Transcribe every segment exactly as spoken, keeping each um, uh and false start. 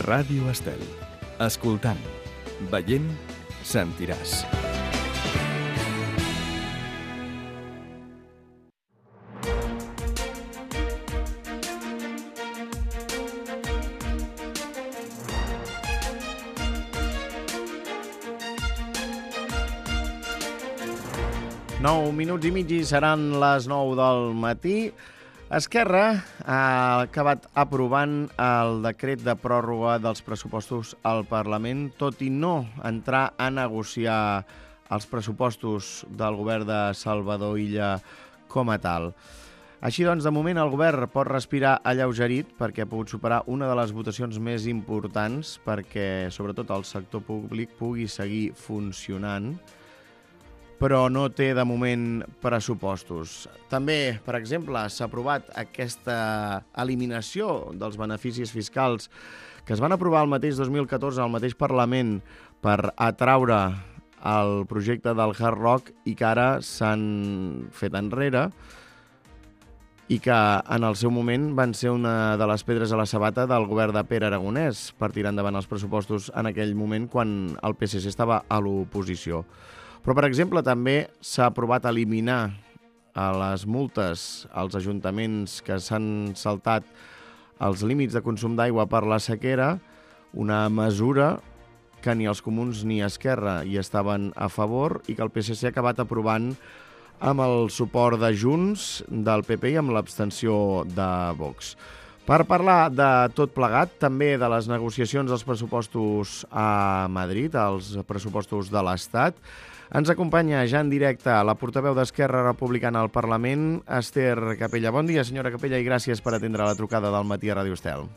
Ràdio Estel. Escoltant, veient, sentiràs. Nou minuts i mig i seran les nou del matí. Esquerra ha acabat aprovant el decret de pròrroga dels pressupostos al Parlament, tot i no entrar a negociar els pressupostos del govern de Salvador Illa com a tal. Així doncs, de moment, el govern pot respirar alleugerit perquè ha pogut superar una de les votacions més importants perquè, sobretot, el sector públic pugui seguir funcionant, però no té, de moment, pressupostos. També, per exemple, s'ha aprovat aquesta eliminació dels beneficis fiscals que es van aprovar el mateix dos mil catorze al mateix Parlament per atraure el projecte del Hard Rock i que ara s'han fet enrere i que en el seu moment van ser una de les pedres a la sabata del govern de Pere Aragonès per tirar endavant els pressupostos en aquell moment quan el P S C estava a l'oposició. Però, per exemple, també s'ha aprovat eliminar a les multes als ajuntaments que s'han saltat els límits de consum d'aigua per la sequera, una mesura que ni els comuns ni Esquerra hi estaven a favor i que el P S C ha acabat aprovant amb el suport de Junts, del P P i amb l'abstenció de Vox. Per parlar de tot plegat, també de les negociacions dels pressupostos a Madrid, els pressupostos de l'Estat, ens acompanya ja en directe la portaveu d'Esquerra Republicana al Parlament, Esther Capella. Bon dia, senyora Capella, i gràcies per atendre la trucada del matí a Ràdio Estel.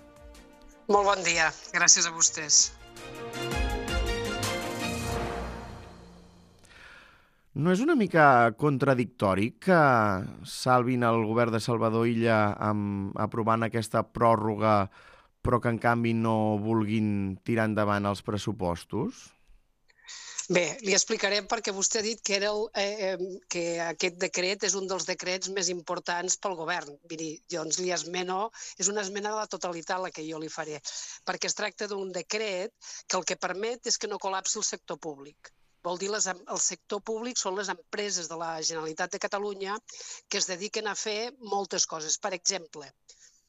Molt bon dia. Gràcies a vostès. No és una mica contradictori que salvin el govern de Salvador Illa amb, aprovant aquesta pròrroga, però que en canvi no vulguin tirar endavant els pressupostos? Bé, li explicarem perquè vostè ha dit que, era el, eh, que aquest decret és un dels decrets més importants pel govern. Miri, doncs li esmeno, és una esmena de la totalitat la que jo li faré, perquè es tracta d'un decret que el que permet és que no col·lapsi el sector públic. Vol dir, les, el sector públic són les empreses de la Generalitat de Catalunya que es dediquen a fer moltes coses. Per exemple,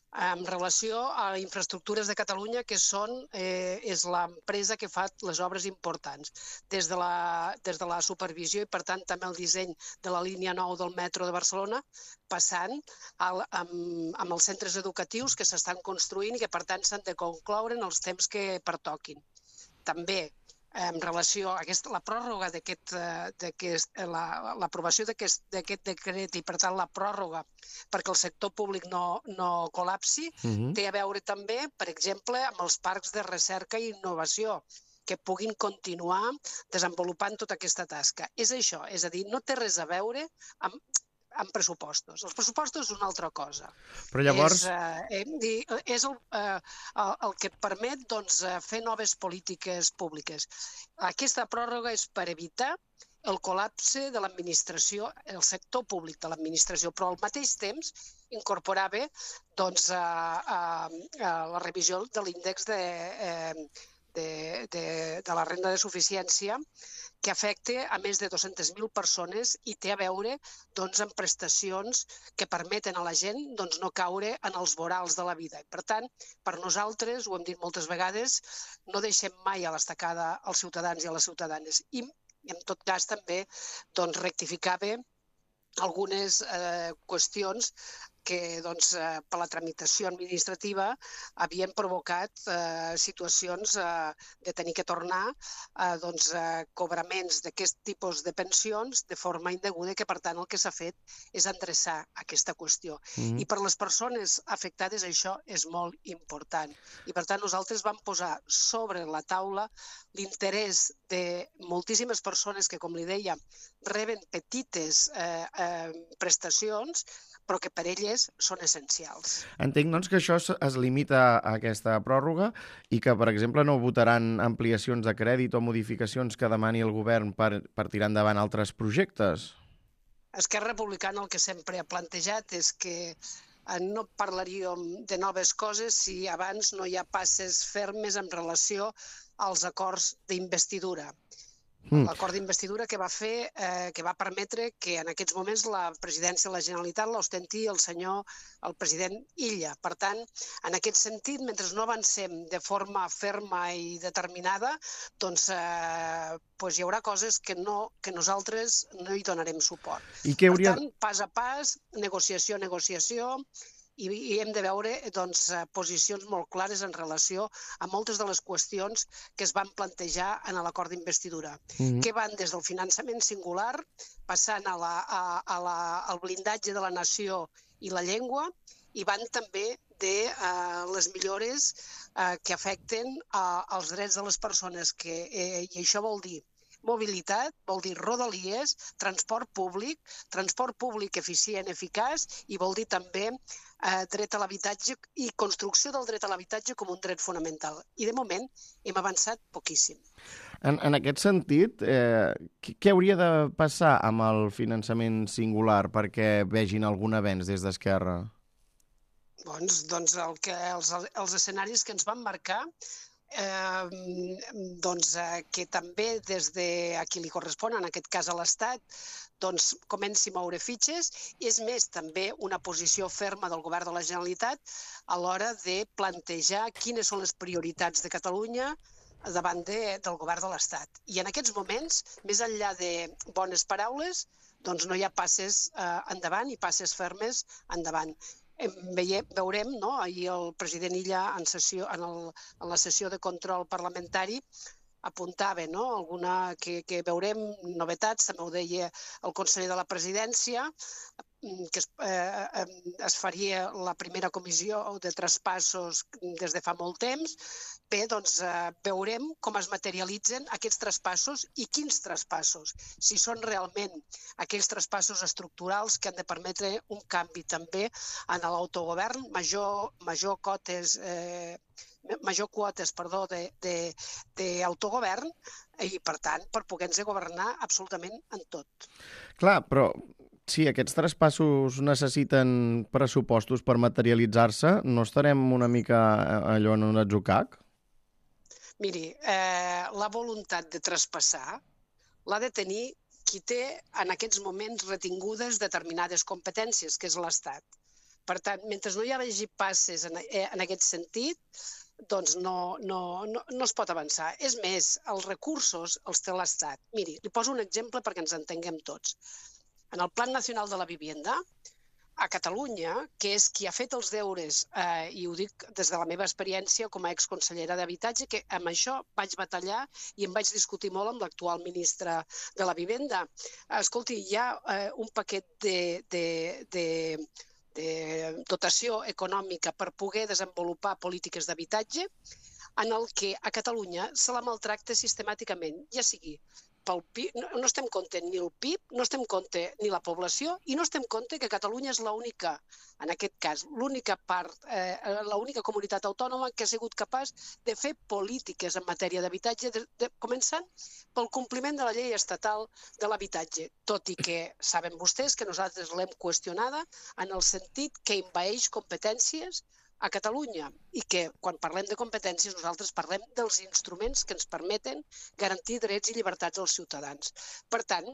en relació a infraestructures de Catalunya, que són, eh, és l'empresa que fa les obres importants, des de, la, des de la supervisió i, per tant, també el disseny de la línia nou del metro de Barcelona, passant al, amb, amb els centres educatius que s'estan construint i que, per tant, s'han de concloure en els temps que pertoquin. També, en relació a aquesta, la pròrroga d'aquest, d'aquest, la, l'aprovació d'aquest, d'aquest decret i, per tant, la pròrroga perquè el sector públic no, no col·lapsi, uh-huh. té a veure també, per exemple, amb els parcs de recerca i innovació, que puguin continuar desenvolupant tota aquesta tasca. És això, és a dir, no té res a veure amb amb pressupostos. Els pressupostos és una altra cosa. Però llavors... És, eh, és el, eh, el que et permet doncs, fer noves polítiques públiques. Aquesta pròrroga és per evitar el col·lapse de l'administració, el sector públic de l'administració, però al mateix temps incorporava doncs, a, a, a la revisió de l'índex de, de, de, de la renda de suficiència que afecta a més de dues-centes mil persones i té a veure doncs, amb prestacions que permeten a la gent doncs, no caure en els vorals de la vida. Per tant, per nosaltres, ho hem dit moltes vegades, no deixem mai a l'estacada als ciutadans i a les ciutadanes. I, en tot cas, també doncs, rectificava algunes eh, qüestions que doncs, eh, per la tramitació administrativa havien provocat eh, situacions eh, de tenir que tornar a eh, doncs, eh, cobraments d'aquest tipus de pensions de forma indeguda, que per tant el que s'ha fet és endreçar aquesta qüestió. Mm-hmm. I per les persones afectades això és molt important. I per tant nosaltres vam posar sobre la taula l'interès de moltíssimes persones que, com li deia, reben petites eh, eh, prestacions, però que per elles són essencials. Entenc, doncs, que això es limita a aquesta pròrroga i que, per exemple, no votaran ampliacions de crèdit o modificacions que demani el govern per, per tirar endavant altres projectes? Esquerra Republicana el que sempre ha plantejat és que no parlaríem de noves coses si abans no hi ha passes fermes en relació als acords d'investidura. L'acord d'investidura que va fer, eh, que va permetre que en aquests moments la presidència de la Generalitat l'ostenti el senyor, el president Illa. Per tant, en aquest sentit, mentre no avancem de forma ferma i determinada, doncs, eh, doncs hi haurà coses que, no, que nosaltres no hi donarem suport. I què hauria... Per tant, pas a pas, negociació a negociació, i hem de veure doncs, posicions molt clares en relació a moltes de les qüestions que es van plantejar en l'acord d'investidura, mm-hmm. que van des del finançament singular, passant a la, a, a la, al blindatge de la nació i la llengua, i van també de uh, les millores uh, que afecten uh, els drets de les persones, que, eh, i això vol dir mobilitat, vol dir rodalies, transport públic, transport públic eficient, eficaç, i vol dir també eh, dret a l'habitatge i construcció del dret a l'habitatge com un dret fonamental. I de moment hem avançat poquíssim. En, en aquest sentit, eh, què hauria de passar amb el finançament singular perquè vegin algun avenç des d'Esquerra? Doncs, doncs el que, els, els escenaris que ens van marcar, Eh, doncs, eh, que també des de a qui li correspon, en aquest cas a l'Estat, doncs comenci a moure fitxes. És més, també una posició ferma del Govern de la Generalitat a l'hora de plantejar quines són les prioritats de Catalunya davant de, del Govern de l'Estat. I en aquests moments, més enllà de bones paraules, doncs no hi ha passes eh, endavant i passes fermes endavant. Veiem, veurem, no? Ahir el president Illa en, sessió, en, el, en la sessió de control parlamentari apuntava, no? Alguna que, que veurem novetats, també ho deia el conseller de la presidència, que es, eh, es faria la primera comissió de traspassos des de fa molt temps. Bé, doncs eh, veurem com es materialitzen aquests traspassos i quins traspassos. Si són realment aquells traspassos estructurals que han de permetre un canvi també en l'autogovern, major, major cotes... Eh, major quotes, perdó, d'autogovern i, per tant, per poder-nos governar absolutament en tot. Clar, però si aquests traspassos necessiten pressupostos per materialitzar-se, no estarem una mica allò en un atzucac? Miri, eh, la voluntat de traspassar l'ha de tenir qui té en aquests moments retingudes determinades competències, que és l'Estat. Per tant, mentre no hi hagi passes en, en aquest sentit, doncs no, no, no, no es pot avançar. És més, els recursos els té l'Estat. Miri, li poso un exemple perquè ens entenguem tots. En el Plan Nacional de la Vivienda, a Catalunya, que és qui ha fet els deures, eh, i ho dic des de la meva experiència com a exconsellera d'Habitatge, que amb això vaig batallar i em vaig discutir molt amb l'actual ministre de la Vivenda. Escolti, hi ha eh, un paquet de... de, de de dotació econòmica per poder desenvolupar polítiques d'habitatge en el que a Catalunya se la maltracta sistemàticament, ja sigui pel P I B, no, no estem compte ni el P I B, no estem compte ni la població i no estem compte que Catalunya és l'única, en aquest cas, l'única part, eh, l'única comunitat autònoma que ha sigut capaç de fer polítiques en matèria d'habitatge, de, de, començant pel compliment de la llei estatal de l'habitatge, tot i que saben vostès que nosaltres l'hem qüestionada en el sentit que envaeix competències a Catalunya i que quan parlem de competències nosaltres parlem dels instruments que ens permeten garantir drets i llibertats als ciutadans. Per tant,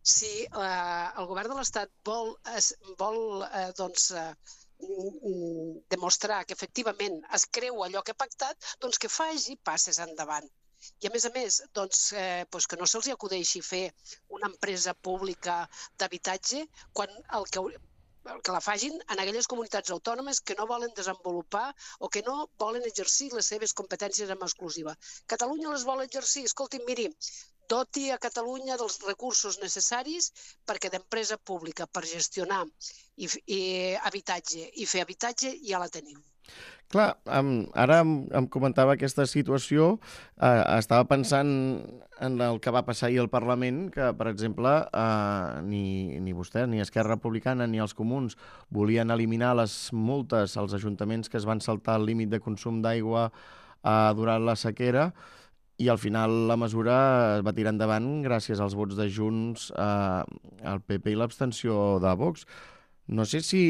si eh, el govern de l'Estat vol, es, vol eh, doncs, eh, demostrar que efectivament es creu allò que ha pactat, doncs que faci passes endavant. I a més a més, doncs, eh, doncs que no se'ls acudeixi fer una empresa pública d'habitatge quan el que que la facin en aquelles comunitats autònomes que no volen desenvolupar o que no volen exercir les seves competències en exclusiva. Catalunya les vol exercir. Escolti, miri, doti a Catalunya dels recursos necessaris perquè d'empresa pública per gestionar i, i habitatge i fer habitatge ja la tenim. Clar, um, ara em, em comentava aquesta situació, uh, estava pensant en el que va passar ahir al Parlament, que, per exemple, uh, ni, ni vostè, ni Esquerra Republicana, ni els comuns volien eliminar les multes als ajuntaments que es van saltar el límit de consum d'aigua uh, durant la sequera, i al final la mesura es va tirar endavant gràcies als vots de Junts, uh, el P P i l'abstenció de Vox. No sé si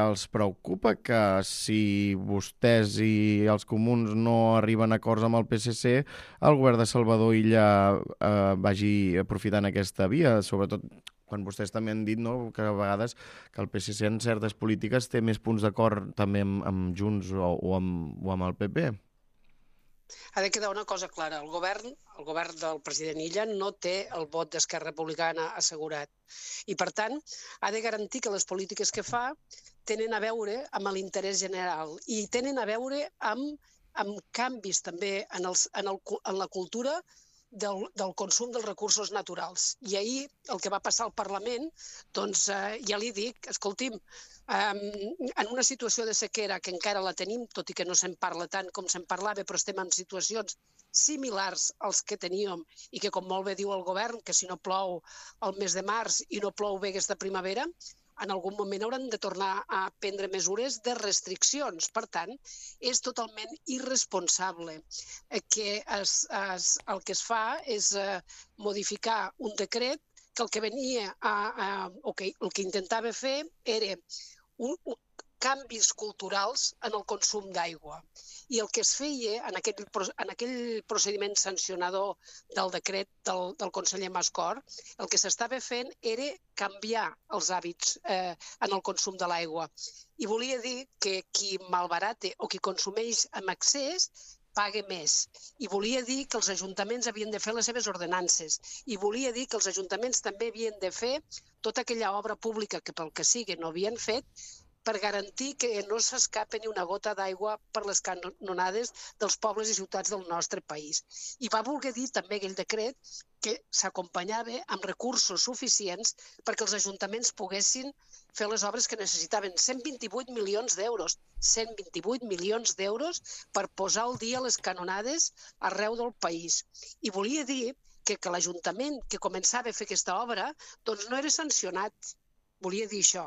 els preocupa que si vostès i els comuns no arriben a acords amb el P S C, el govern de Salvador Illa eh, vagi aprofitant aquesta via, sobretot quan vostès també han dit, no?, que a vegades que el P S C en certes polítiques té més punts d'acord també amb, amb Junts o, o, amb, o amb el P P. Ha de quedar una cosa clara, el govern, el govern del president Illa no té el vot d'Esquerra Republicana assegurat i, per tant, ha de garantir que les polítiques que fa tenen a veure amb l'interès general i tenen a veure amb, amb canvis també en, els, en, el, en la cultura del, del consum dels recursos naturals. I ahir el que va passar al Parlament, doncs eh, ja li dic, escolti'm, Um, en una situació de sequera que encara la tenim, tot i que no se'n parla tant com se'n parlava, però estem en situacions similars als que teníem i que, com molt bé diu el govern, que si no plou el mes de març i no plou bé aquesta primavera, en algun moment hauran de tornar a prendre mesures de restriccions. Per tant, és totalment irresponsable que es, es, el que es fa és uh, modificar un decret que el que venia a, a, o que el que intentava fer era un, un, canvis culturals en el consum d'aigua. I el que es feia en aquell, en aquell procediment sancionador del decret del, del conseller Mascort, el que s'estava fent era canviar els hàbits eh, en el consum de l'aigua. I volia dir que qui malbarata o qui consumeix amb excés pague més. I volia dir que els ajuntaments havien de fer les seves ordenances. I volia dir que els ajuntaments també havien de fer tota aquella obra pública que pel que sigui no havien fet per garantir que no s'escapa ni una gota d'aigua per les canonades dels pobles i ciutats del nostre país. I va voler dir també aquell decret que s'acompanyava amb recursos suficients perquè els ajuntaments poguessin fer les obres que necessitaven. cent vint-i-vuit milions d'euros. cent vint-i-vuit milions d'euros per posar al dia les canonades arreu del país. I volia dir que, que l'Ajuntament que començava a fer aquesta obra doncs no era sancionat. Volia dir això.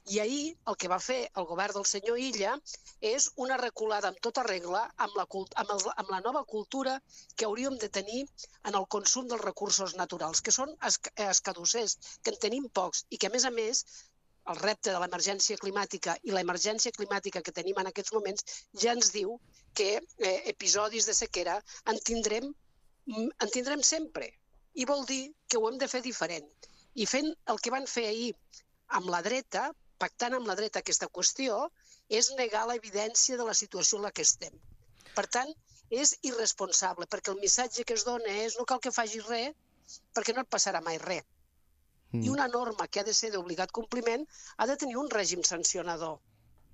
I ahir el que va fer el govern del senyor Illa és una reculada amb tota regla amb la, amb, el, amb la nova cultura que hauríem de tenir en el consum dels recursos naturals, que són escadussers, que en tenim pocs i que, a més a més, el repte de l'emergència climàtica i l'emergència climàtica que tenim en aquests moments ja ens diu que eh, episodis de sequera en tindrem, en tindrem sempre. I vol dir que ho hem de fer diferent. I fent el que van fer ahir amb la dreta, pactant amb la dreta aquesta qüestió, és negar l'evidència de la situació en la que estem. Per tant, és irresponsable, perquè el missatge que es dona és no cal que facis res perquè no et passarà mai res. Mm. I una norma que ha de ser d'obligat compliment ha de tenir un règim sancionador,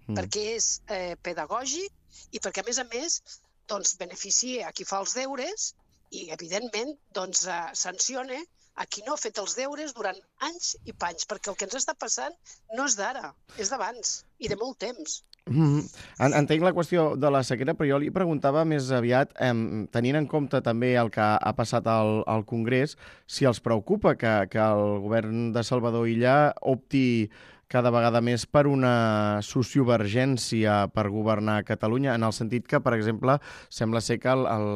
mm. perquè és eh, pedagògic i perquè, a més a més, doncs, beneficia a qui fa els deures i, evidentment, doncs, eh, sanciona a qui no ha fet els deures durant anys i panys, perquè el que ens està passant no és d'ara, és d'abans i de molt temps. Mm-hmm. Entenc la qüestió de la sequera, però jo li preguntava més aviat, eh, tenint en compte també el que ha passat al, al Congrés, si els preocupa que, que el govern de Salvador Illa opti cada vegada més per una sociovergència per governar Catalunya, en el sentit que, per exemple, sembla ser que el, el,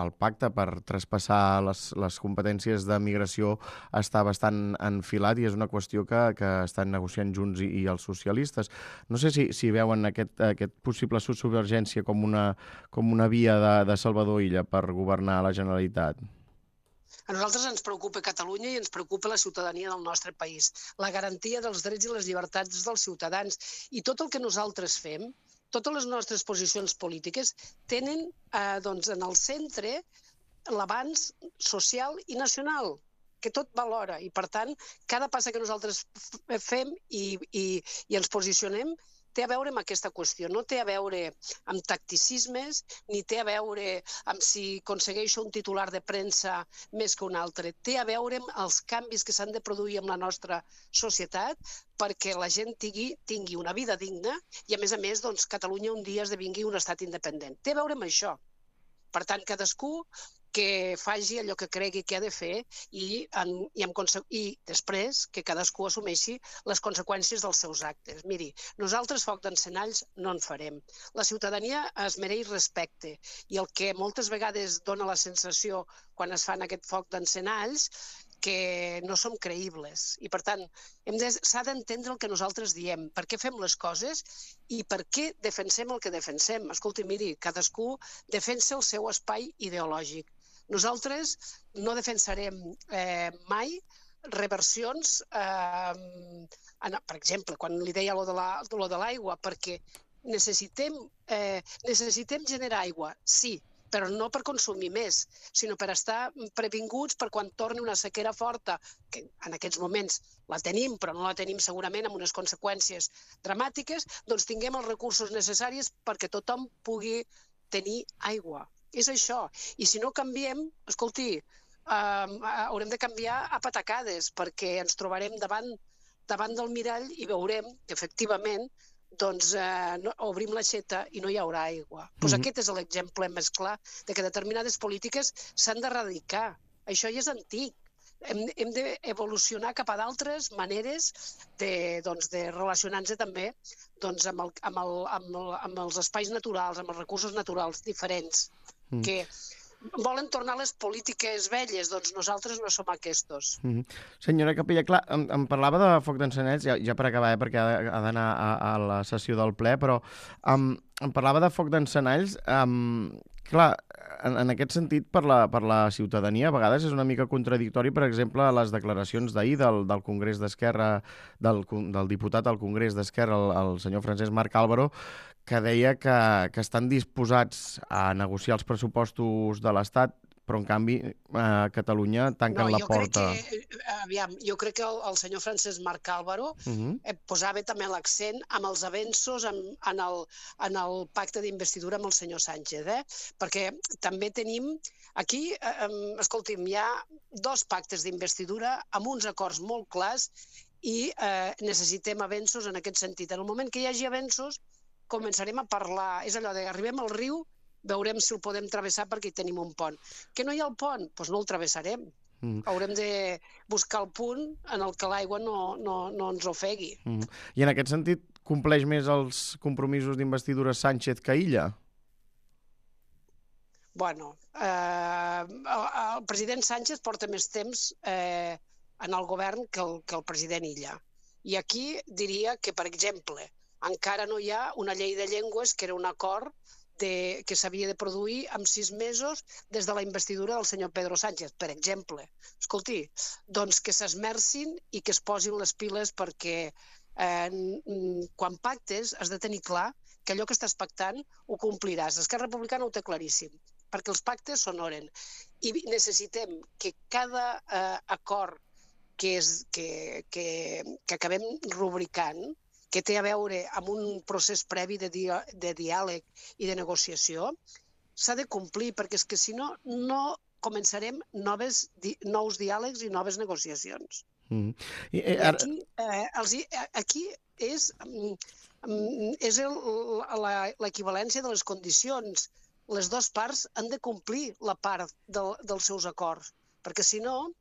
el pacte per traspassar les, les competències de migració està bastant enfilat i és una qüestió que, que estan negociant Junts i, i els socialistes. No sé si, si veuen aquest, aquest possible sociovergència com una, com una via de, de Salvador Illa per governar la Generalitat. A nosaltres ens preocupa Catalunya i ens preocupa la ciutadania del nostre país, la garantia dels drets i les llibertats dels ciutadans. I tot el que nosaltres fem, totes les nostres posicions polítiques, tenen eh, doncs, en el centre l'avanç social i nacional, que tot va alhora. I, per tant, cada passa que nosaltres fem i, i, i ens posicionem té a veure amb aquesta qüestió, no té a veure amb tacticismes, ni té a veure amb si aconsegueixo un titular de premsa més que un altre. Té a veure amb els canvis que s'han de produir en la nostra societat perquè la gent tingui, tingui una vida digna i, a més a més, doncs, Catalunya un dia esdevingui un estat independent. Té a veure amb això. Per tant, cadascú que faci allò que cregui que ha de fer i, en, i, en, i després que cadascú assumeixi les conseqüències dels seus actes. Miri, nosaltres foc d'encenalls no en farem. La ciutadania es mereix respecte i el que moltes vegades dona la sensació quan es fan aquest foc d'encenalls que no som creïbles. I, per tant, s'ha d'entendre el que nosaltres diem, per què fem les coses i per què defensem el que defensem. Escolti, miri, cadascú defensa el seu espai ideològic. Nosaltres no defensarem eh, mai reversions, eh, en, per exemple, quan li deia lo de l'aigua, perquè necessitem, eh, necessitem generar aigua, sí, però no per consumir més, sinó per estar previnguts per quan torni una sequera forta, que en aquests moments la tenim, però no la tenim segurament amb unes conseqüències dramàtiques, doncs tinguem els recursos necessaris perquè tothom pugui tenir aigua. És això. I si no canviem, escolti, eh, haurem de canviar a patacades, perquè ens trobarem davant, davant del mirall i veurem que, efectivament, doncs eh, no, obrim l'aixeta i no hi haurà aigua. Pues mm-hmm. Aquest és l'exemple més clar de que determinades polítiques s'han d'erradicar. Això ja és antic. Hem, hem d'evolucionar cap a d'altres maneres de, doncs, de relacionar-nos també doncs, amb, el, amb, el, amb, el, amb els espais naturals, amb els recursos naturals diferents, mm. que volen tornar a les polítiques velles, doncs nosaltres no som aquestos. Mm-hmm. Senyora Capella, clar, em, em parlava de foc d'encenets, ja, ja per acabar, eh, perquè ha, ha d'anar a, a la sessió del ple, però um, em parlava de foc d'encenalls. Um, clar, en, en aquest sentit, per la, per la ciutadania, a vegades és una mica contradictori, per exemple, les declaracions d'ahir del, del Congrés d'Esquerra, del, del diputat al Congrés d'Esquerra, el, el senyor Francesc Marc Álvaro, que deia que, que estan disposats a negociar els pressupostos de l'Estat, però en canvi a Catalunya tanquen no, la porta. Que, aviam, jo crec que el, el senyor Francesc Marc Álvaro uh-huh. eh, posava també l'accent amb els avenços en, en, el, en el pacte d'investidura amb el senyor Sánchez, eh? Perquè també tenim aquí, eh, escolti'm, hi ha dos pactes d'investidura amb uns acords molt clars i eh, necessitem avenços en aquest sentit. En el moment que hi hagi avenços, començarem a parlar, és allò de arribem al riu, veurem si el podem travessar perquè hi tenim un pont. Que no hi ha el pont? Doncs no el travessarem. Mm. Haurem de buscar el punt en el que l'aigua no, no, no ens ofegui. Mm. I en aquest sentit, compleix més els compromisos d'investidura Sánchez que Illa? Bueno, eh, el, el president Sánchez porta més temps eh, en el govern que el, que el president Illa. I aquí diria que, per exemple, encara no hi ha una llei de llengües que era un acord de, que s'havia de produir en sis mesos des de la investidura del senyor Pedro Sánchez, per exemple. Escolti, doncs que s'esmercin i que es posin les piles perquè eh, quan pactes has de tenir clar que allò que estàs pactant ho compliràs. Esquerra Republicana ho té claríssim, perquè els pactes s'honoren. I necessitem que cada eh, acord que, és, que, que, que acabem rubricant, que té a veure amb un procés previ de, dia, de diàleg i de negociació, s'ha de complir, perquè és que si no, no començarem noves, di, nous diàlegs i noves negociacions. Mm. I, I, ara... aquí, eh, els, aquí és, és l'equivalència de les condicions. Les dues parts han de complir la part del, dels seus acords, perquè si no,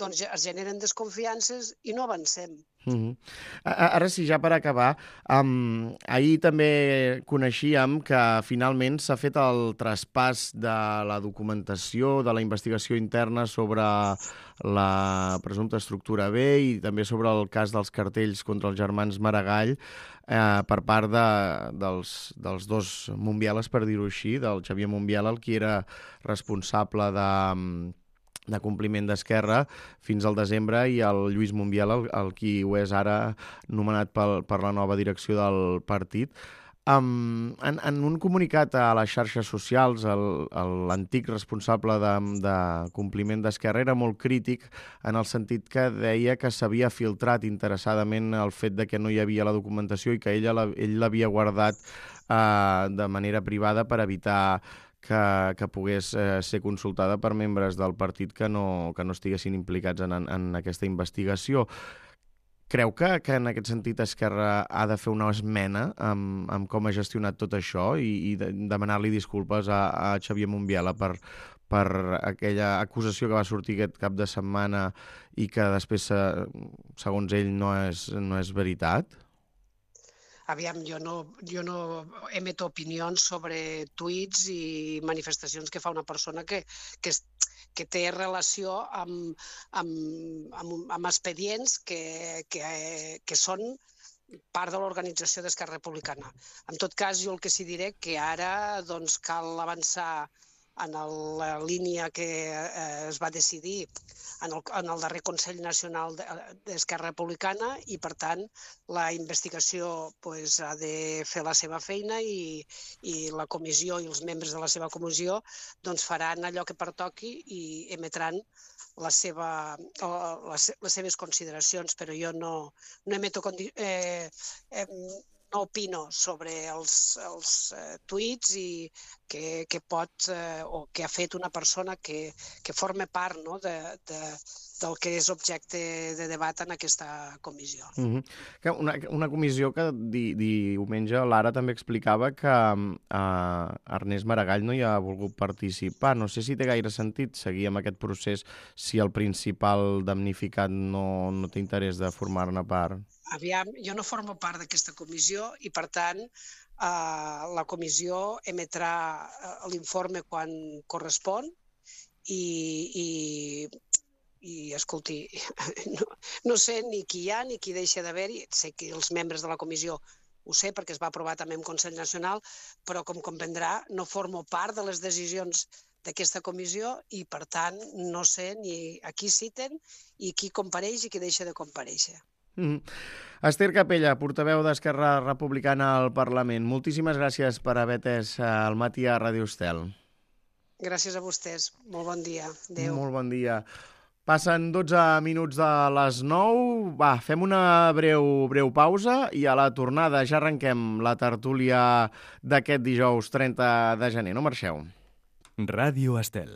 doncs es generen desconfiances i no avancem. Mm-hmm. Ara sí, ja per acabar, um, ahir també coneixíem que finalment s'ha fet el traspàs de la documentació, de la investigació interna sobre la presumpta estructura B i també sobre el cas dels cartells contra els germans Maragall eh, per part de, dels, dels dos Montbieles, per dir-ho així, del Xavier Montbiela, el qui era responsable de... de compliment d'Esquerra fins al desembre, i el Lluís Montbiela, el, el qui ho és ara, nomenat pel, per la nova direcció del partit. Um, en, en un comunicat a les xarxes socials, l'antic responsable de, de compliment d'Esquerra era molt crític en el sentit que deia que s'havia filtrat interessadament el fet de que no hi havia la documentació i que ella, ell l'havia guardat uh, de manera privada per evitar que, que pogués eh, ser consultada per membres del partit que no, que no estiguessin implicats en, en aquesta investigació. Creu que, que en aquest sentit Esquerra ha de fer una esmena amb, amb com ha gestionat tot això i, i de, demanar-li disculpes a, a Xavier Montbiela per, per aquella acusació que va sortir aquest cap de setmana i que després, segons ell, no és, no és veritat? Aviam, jo no, jo no emeto opinions sobre tuits i manifestacions que fa una persona que, que, que té relació amb, amb, amb, amb expedients que, que, que són part de l'organització d'Esquerra Republicana. En tot cas, jo el que sí diré que ara doncs, cal avançar en la línia que eh, es va decidir en el, en el darrer Consell Nacional d'Esquerra Republicana i, per tant, la investigació pues, ha de fer la seva feina i, i la comissió i els membres de la seva comissió doncs, faran allò que pertoqui i emetran la seva, les, les seves consideracions, però jo no, no emeto eh, eh, no opino sobre els, els eh, tuits i que, que pot eh, o que ha fet una persona que, que forma part no, de, de, del que és objecte de debat en aquesta comissió. Mm-hmm. una, una comissió que di, diumenge Lara també explicava que eh, Ernest Maragall no hi ha volgut participar. No sé si té gaire sentit seguir amb aquest procés si el principal damnificat no, no té interès de formar-ne part. Aviam, jo no formo part d'aquesta comissió i, per tant, eh, la comissió emetrà l'informe quan correspon i, i, i escolti, no, no sé ni qui hi ha ni qui deixa d'haver-hi. Sé que els membres de la comissió ho sé perquè es va aprovar també en Consell Nacional, però, com comprendrà, no formo part de les decisions d'aquesta comissió i, per tant, no sé ni a qui citen i qui compareix i qui deixa de comparèixer. Mm. Esther Capella, portaveu d'Esquerra Republicana al Parlament. Moltíssimes gràcies per haver atès el matí a Ràdio Estel. Gràcies a vostès. Molt bon dia. Adéu. Molt bon dia. Passen dotze minuts de les nou. Va, fem una breu, breu pausa i a la tornada ja arrenquem la tertúlia d'aquest dijous trenta de gener. No marxeu. Ràdio Estel.